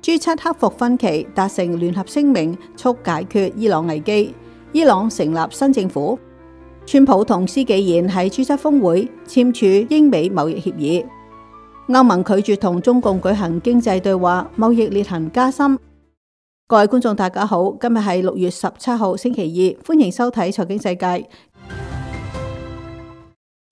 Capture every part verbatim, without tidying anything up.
G 七克服分歧，達成聯合聲明，促解決伊朗危機。伊朗成立新政府。川普同施紀賢喺 G 七峰會簽署英美貿易協議。歐盟拒絕同中共舉行經濟對話，貿易裂痕加深。各位觀眾大家好，今日係六月十七號星期二，歡迎收睇財經世界。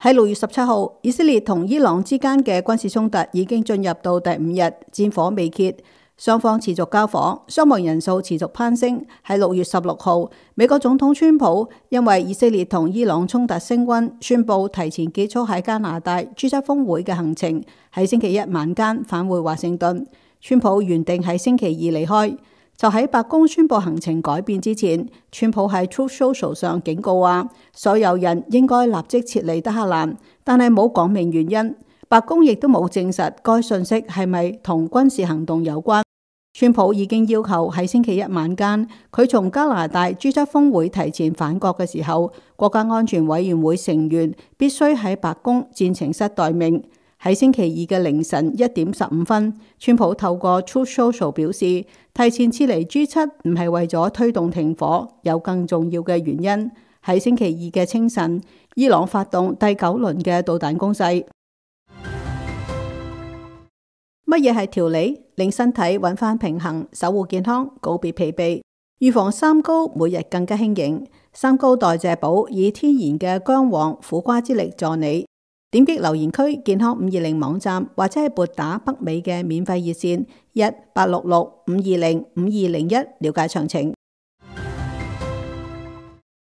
喺六月十七號，以色列同伊朗之間嘅軍事衝突已經進入到第五日，戰火未歇。雙方持續交火，傷亡人數持續攀升。喺六月十六號，美國總統川普因為以色列同伊朗衝突升溫，宣布提前結束喺加拿大 G 七峰會嘅行程，喺星期一晚間返回華盛頓。川普原定喺星期二離開，就喺白宮宣布行程改變之前，川普喺 Truth Social 上警告話，所有人應該立即撤離德黑蘭，但係冇講明原因。白宮亦都冇證實該信息係咪同軍事行動有關。川普已經要求喺星期一晚間，佢從加拿大 G 七峰會提前返國嘅時候，國家安全委員會成員必須喺白宮戰情室待命。喺星期二嘅凌晨一點十五分，川普透過 Truth Social 表示，提前撤離 G 七唔係為咗推動停火，有更重要嘅原因。喺星期二嘅清晨，伊朗發動第九輪嘅導彈攻勢。乜嘢係調理？令身體揾返平衡，守護健康，告別疲憊，預防三高，每日更加輕盈。三高代謝寶以天然嘅薑黃、苦瓜之力助你。點擊留言區健康五二零網站，或者係撥打北美嘅免費熱線一八六六五二零五二零一了解詳情。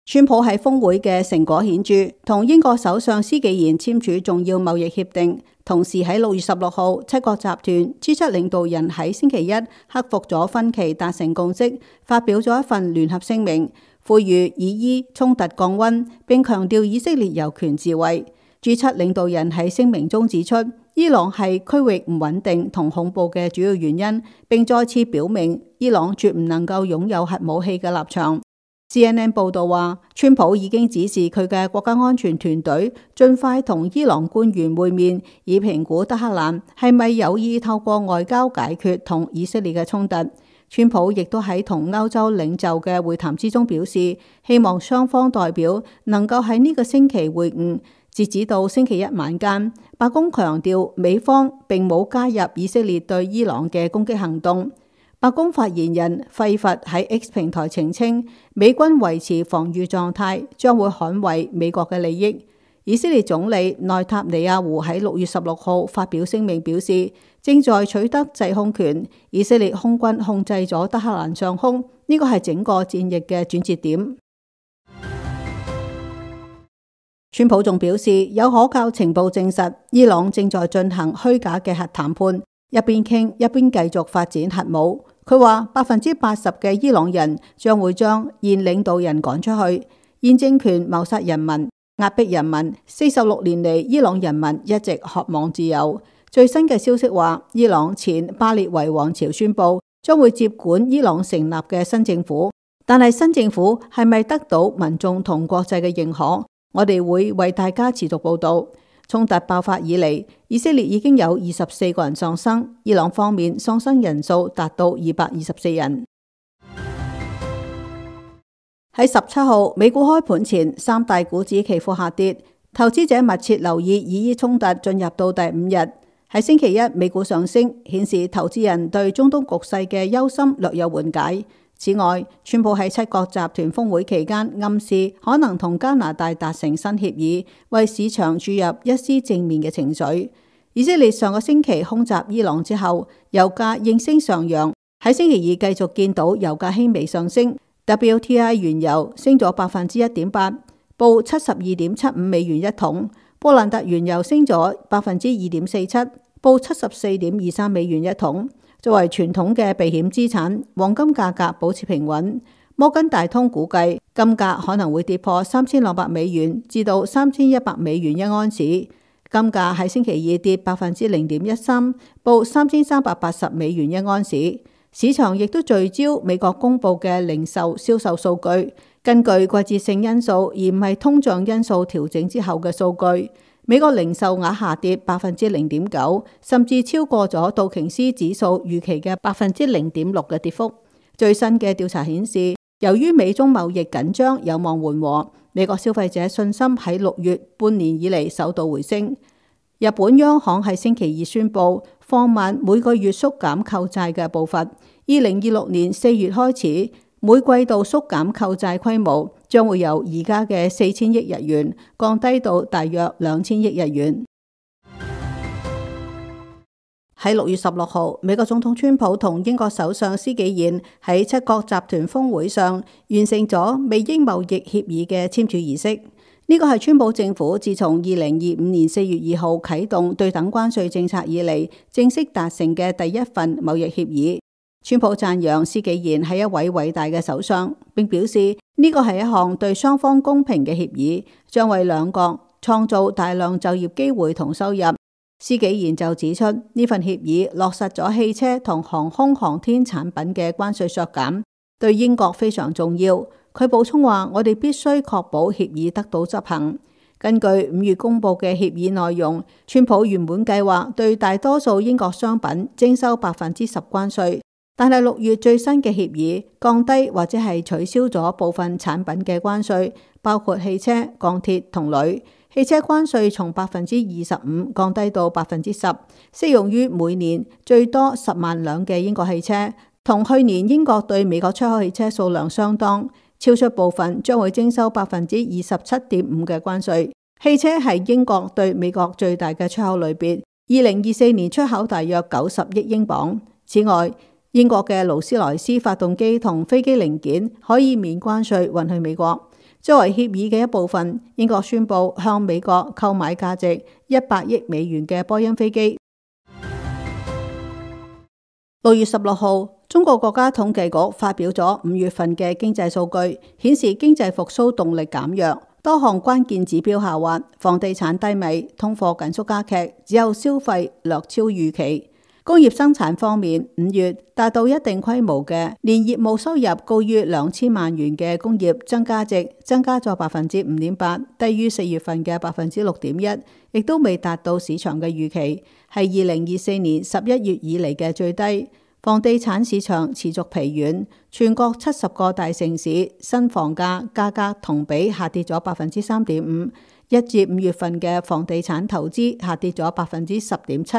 川普喺峰會嘅成果顯著，同英國首相施紀賢簽署重要貿易協定。同時喺六月十六號，七國集團 G 七領導人喺星期一克服咗分歧，達成共識，發表咗一份聯合聲明，呼籲以伊衝突降溫，並強調以色列有權自衛。G 七領導人喺聲明中指出，伊朗係區域唔穩定同恐怖嘅主要原因，並再次表明伊朗絕唔能夠擁有核武器嘅立場。C N N 報道話，川普已經指示佢嘅國家安全團隊盡快同伊朗官員會面，以評估德黑蘭係咪有意透過外交解決同以色列嘅衝突。川普亦都喺同歐洲領袖嘅會談之中表示，希望雙方代表能夠喺呢個星期會晤。截止到星期一晚間，白宮強調美方並冇加入以色列對伊朗嘅攻擊行動。白宮發言人費佛喺 X 平台澄清，美軍維持防禦狀態，將會捍衛美國嘅利益。以色列總理內塔尼亞胡喺六月十六號發表聲明表示，正在取得制空權，以色列空軍控制咗德黑蘭上空，呢個係整個戰役嘅轉折點。川普仲表示，有可靠情報證實，伊朗正在進行虛假嘅核談判，一邊傾一邊繼續發展核武。佢話百分之八十嘅伊朗人將會將現領導人趕出去，現政權謀殺人民、壓迫人民。四十六年嚟，伊朗人民一直渴望自由。最新嘅消息話，伊朗前巴列維王朝宣布將會接管伊朗成立嘅新政府，但係新政府係咪得到民眾同國際嘅認可？我哋會為大家持續報道。衝突爆發以嚟，以色列已經有二十四個人喪生，伊朗方面喪生人數達到二百二十四人。喺十七號美股開盤前，三大股指期貨下跌，投資者密切留意以伊衝突進入到第五日。喺星期一，美股上升，顯示投資人對中東局勢嘅憂心略有緩解。此外，川普喺七國集團峰會期間暗示可能同加拿大達成新協議，為市場注入一絲正面嘅情緒。以色列上個星期空襲伊朗之後，油價應聲上揚，喺星期二繼續見到油價輕微上升。W T I 原油升咗百分之一點八，報七十二點七五美元一桶；布蘭特原油升咗百分之二點四七，報七十四點二三美元一桶。作為傳統嘅避險資產，黃金價格保持平穩。摩根大通估計金價可能會跌破三千兩百美元至到三千一百美元一盎司。金價喺星期二跌百分之零點一三，報三千三百八十美元一盎司。市場亦都聚焦美國公布嘅零售銷售數據，根據季節性因素而唔係通脹因素調整之後嘅數據。美國零售額下跌百分之零點九，甚至超過咗道瓊斯指數預期嘅百分之零點六嘅跌幅。最新嘅調查顯示，由於美中貿易緊張有望緩和，美國消費者信心喺六月半年以嚟首度回升。日本央行喺星期二宣布放慢每個月縮減購債嘅步伐，二零二六年四月開始，每季度縮減購債規模將會由而家嘅四千億日元降低到大約兩千億日元。喺六月十六號，美國總統川普同英國首相施紀賢喺七國集團峰會上完成咗美英貿易協議嘅簽署儀式。呢個係川普政府自從二零二五年四月二號啟動對等關稅政策以嚟，正式達成嘅第一份貿易協議。川普讚揚施紀賢係一位偉大嘅首相，並表示呢個係一項對雙方公平嘅協議，將為兩國創造大量就業機會同收入。施紀賢就指出，呢份協議落實咗汽車同航空航天產品嘅關稅削減，對英國非常重要。佢補充話，我哋必須確保協議得到執行。根據五月公布嘅協議內容，川普原本計劃對大多數英國商品徵收百分之十關稅，但係六月最新嘅協議降低或者係取消咗部分產品嘅關稅，包括汽車、鋼鐵同鋁。汽車關稅從百分之二十五降低到百分之十，適用於每年最多十萬輛嘅英國汽車，同去年英國對美國出口汽車數量相當。超出部分將會徵收百分之二十七點五嘅關稅。汽車係英國對美國最大嘅出口類別，二零二四年出口大約九十億英鎊。此外，英國嘅勞斯萊斯發動機同飛機零件可以免關稅運去美國。作為協議嘅一部分，英國宣布向美國購買價值一百億美元嘅波音飛機。六月十六號，中國國家統計局發表咗五月份嘅經濟數據，顯示經濟復甦動力減弱，多項關鍵指標下滑，房地產低迷，通貨緊縮加劇，只有消費略超預期。工業生產方面，五月達到一定規模嘅年業務收入高於兩千萬元嘅工業增加值增加咗百分之五點八，低於四月份嘅百分之六點一，亦都未達到市場嘅預期，係二零二四年十一月以嚟嘅最低。房地產市場持續疲軟，全國七十個大城市新房價價格同比下跌咗百分之三點五，一至五月份嘅房地產投資下跌咗百分之十點七，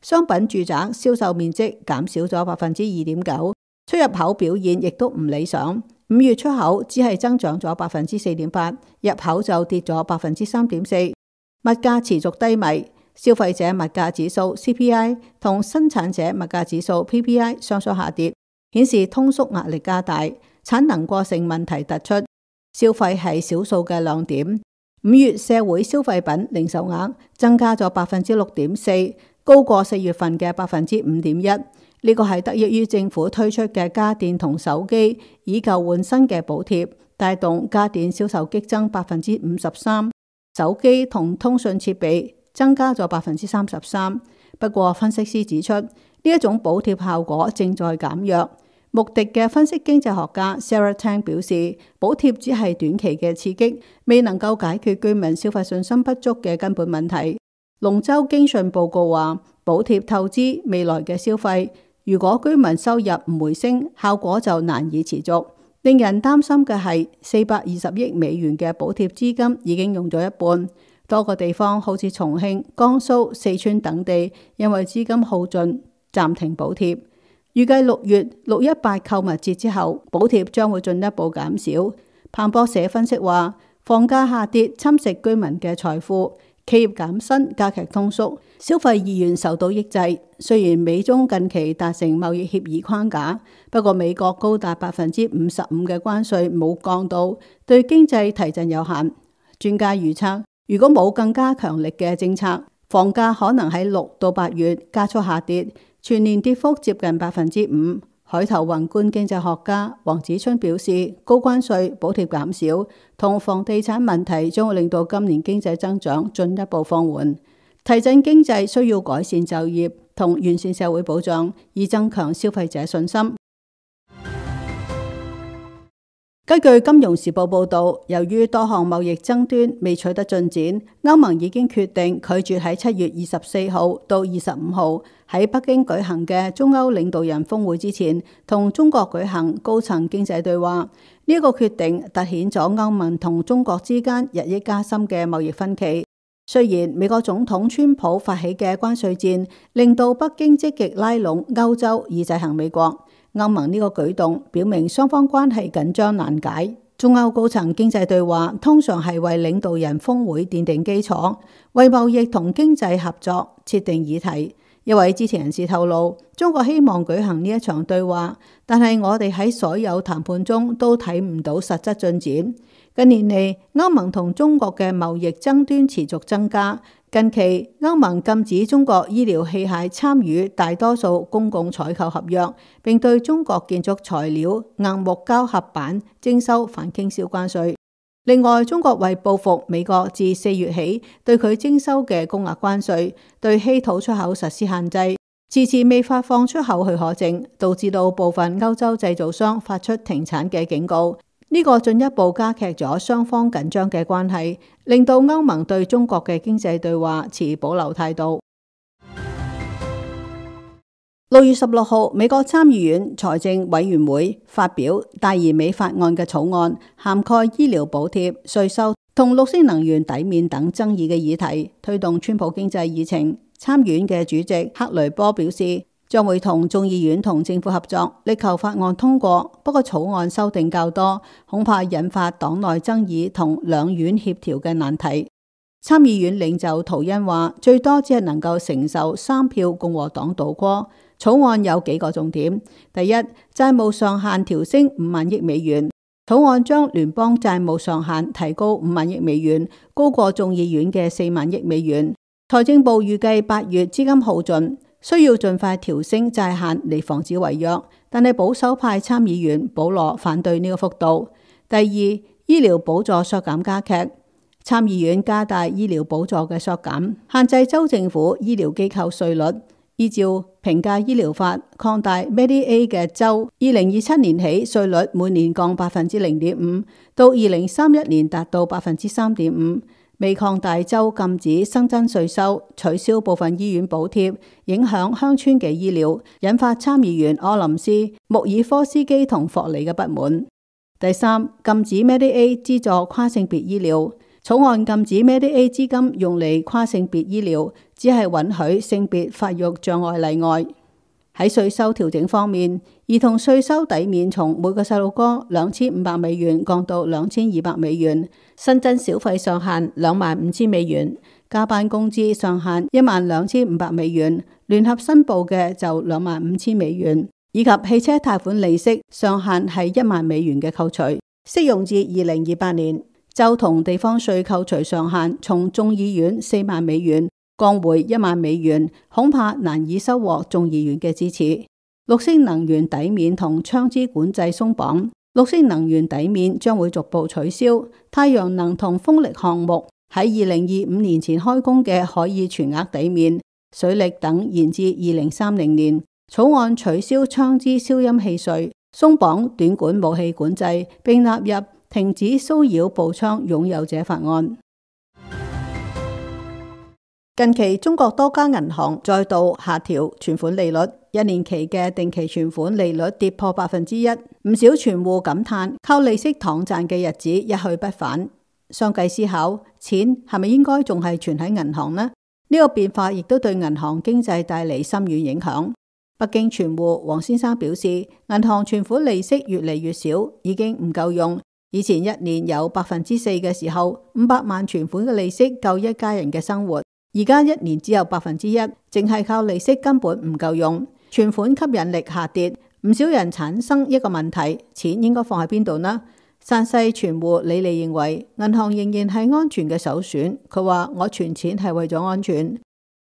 商品住宅銷售面積減少咗百分之二點九，出入口表現亦都唔理想。五月出口只係增長咗百分之四點八，入口就跌咗百分之三點四，物價持續低迷。消費者物價指數 C P I 同生產者物價指數 P P I 雙雙下跌，顯示通縮壓力加大，產能過剩問題突出。消費係少數嘅亮點。五月社會消費品零售額增加咗百分之六點四，高過四月份嘅百分之五點一。呢個係得益於政府推出嘅家電同手機以舊換新嘅補貼，帶動家電銷售激增百分之五十三，手機同通訊設備增加咗百分之三十三。不過分析師指出，呢一種補貼效果正在減弱。穆迪嘅分析經濟學家 Sarah Tang 表示，補貼只係短期嘅刺激，未能夠解決居民消費信心不足嘅根本問題。龍舟經訊報告話，補貼透支未來嘅消費，如果居民收入唔回升，效果就難以持續。令人擔心嘅係，四百二十億美元嘅補貼資金已經用咗一半。多個地方好似重慶、江蘇、四川等地，因為資金耗盡，暫停補貼。預計六月六一八購物節之後，補貼將會進一步減少。彭博社分析話，房價下跌侵蝕居民嘅財富，企業減薪加劇通縮，消費意願受到抑制。雖然美中近期達成貿易協議框架，不過美國高達百分之五十五嘅關稅冇降到，對經濟提振有限。專家預測，如果冇更加強力嘅政策，房價可能喺六到八月加速下跌，全年跌幅接近百分之五。海頭宏觀經濟學家黃子春表示，高關稅、補貼減少同房地產問題將會令到今年經濟增長進一步放緩。提振經濟需要改善就業同完善社會保障，以增強消費者信心。根據《金融時報》報導，由於多項貿易爭端未取得進展，歐盟已經決定拒絕喺七月二十四號到二十五號喺北京舉行嘅中歐領導人峰會之前，同中國舉行高層經濟對話。呢、這個決定凸顯咗歐盟同中國之間日益加深嘅貿易分歧。雖然美國總統川普發起嘅關稅戰令到北京積極拉攏歐洲以制衡美國，歐盟呢個舉動表明雙方關係緊張難解。中歐高層經濟對話通常係為領導人峰會奠定基礎，為貿易同經濟合作設定議題。一位知情人士透露，中國希望舉行呢一場對話，但係我哋喺所有談判中都睇唔到實質進展。近年嚟，歐盟同中國嘅貿易爭端持續增加。近期，歐盟禁止中國醫療器械參與大多數公共採購合約，並對中國建築材料、硬木膠合板徵收反傾銷關稅。另外，中國為報復美國自四月起對佢徵收嘅高額關稅，對稀土出口實施限制，遲遲未發放出口許可證，導致到部分歐洲製造商發出停產嘅警告。呢個進一步加劇咗雙方緊張嘅關係，令到歐盟對中國嘅經濟對話持保留態度。六月十六號，美國參議院財政委員會發表大而美法案嘅草案，涵蓋醫療補貼、稅收同綠色能源抵免等爭議嘅議題，推動川普經濟議程。參議院嘅主席克雷波表示，將會同眾議院同政府合作，力求法案通過。不過草案修訂較多，恐怕引發黨內爭議同兩院協調嘅難題。參議院領袖圖恩話，最多只係能夠承受三票共和黨倒戈。草案有幾個重點：第一，債務上限調升五萬億美元。草案將聯邦債務上限提高五萬億美元，高過眾議院嘅四萬億美元。財政部預計八月資金耗盡，需要盡快調升債限嚟防止違約，但係保守派參議員保羅反對呢個幅度。第二，醫療補助削減加劇，參議院加大醫療補助嘅削減，限制州政府醫療機構稅率，依照平價醫療法擴大 Medicaid 嘅州，二零二七年起稅率每年降百分之零點五，到二零三一年達到百分之三點五。未擴大州禁止新增稅收，取消部分醫院補貼，影響鄉村嘅醫療，引發參議員柯林斯、穆爾科斯基同霍利嘅不滿。第三，禁止 Medicaid 資助跨性別醫療。草案禁止 Medicaid 資金用嚟跨性別醫療，只係允許性別發育障礙例外。喺稅收調整方面，兒童稅收抵免從每個細路哥兩千五百美元降到兩千二百美元，新增小費上限兩萬五千美元，加班工資上限一萬兩千五百美元，聯合申報嘅就兩萬五千美元，以及汽車貸款利息上限係一萬美元嘅扣除，適用至二零二八年。州同地方稅扣除上限從眾議院四萬美元降回一萬美元，恐怕難以收穫眾議院嘅支持。綠色能源抵免同槍支管制鬆綁，綠色能源抵免將會逐步取消，太陽能同風力項目喺二零二五年前開工嘅可以全額抵免，水力等延至二零三零年。草案取消槍支消音器稅，鬆綁短管武器管制，並納入停止騷擾步槍擁有者法案。近期中國多家銀行再度下調存款利率，一年期嘅定期存款利率跌破百分之一，唔少存戶感嘆靠利息躺賺嘅日子一去不返。相繼思考，錢係咪應該仲係存喺銀行呢？呢個變化亦都對銀行經濟帶嚟深遠影響。北京存戶黃先生表示，銀行存款利息越嚟越少，已經唔夠用。以前一年有百分之四嘅時候，五百萬存款嘅利息夠一家人嘅生活。而家一年只有百分之一，淨係靠利息根本唔夠用，存款吸引力下跌，唔少人產生一個問題：錢應該放喺邊度呢？山西存戶李麗認為，銀行仍然係安全嘅首選。佢話：我存錢係為咗安全。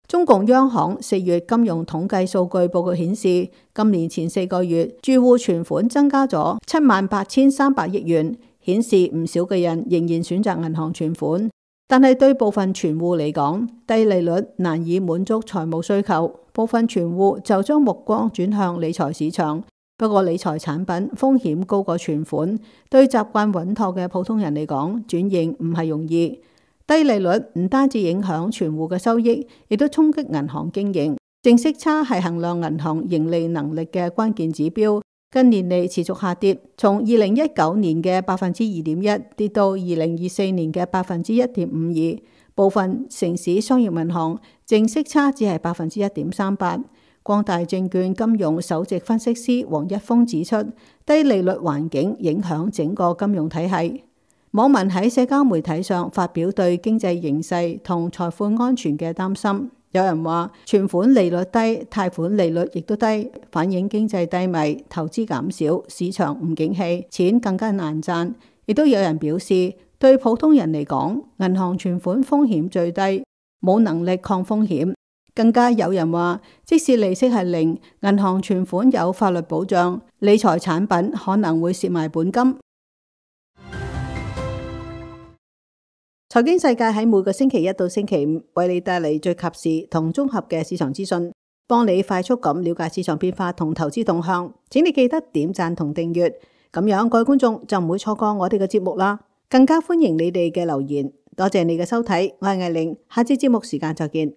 中共央行四月金融統計數據報告顯示，今年前四個月住戶存款增加咗七萬八千三百億元，顯示唔少嘅人仍然選擇銀行存款。但係對部分存戶嚟講，低利率難以滿足財務需求，部分存戶就將目光轉向理財市場，不過理財產品風險高過存款，對習慣穩妥嘅普通人嚟講，轉型唔係容易。低利率唔單止影響存戶嘅收益，亦都衝擊銀行經營。淨息差係衡量銀行盈利能力嘅關鍵指標，近年嚟持續下跌，從二零一九年嘅百分之二點一跌到二零二四年嘅百分之一點五二。部分城市商業銀行淨息差只係百分之一點三八。光大證券金融首席分析師黃一峰指出，低利率環境影響整個金融體系。網民喺社交媒體上發表對經濟形勢同財富安全嘅擔心。有人話存款利率低，貸款利率亦都低，反映經濟低迷，投資減少，市場唔景氣，錢更加難賺。亦都有人表示，對普通人嚟講，銀行存款風險最低，冇能力抗風險。更加有人話，即使利息係零，銀行存款有法律保障，理財產品可能會蝕埋本金。財經世界喺每個星期一到星期五為你帶嚟最及時同綜合嘅市場資訊，幫你快速咁了解市場變化同投資動向。請你記得點讚同訂閱，咁樣各位觀眾就唔會錯過我哋嘅節目啦。更加歡迎你哋嘅留言。多謝你嘅收睇，我係艾玲，下次節目時間再見。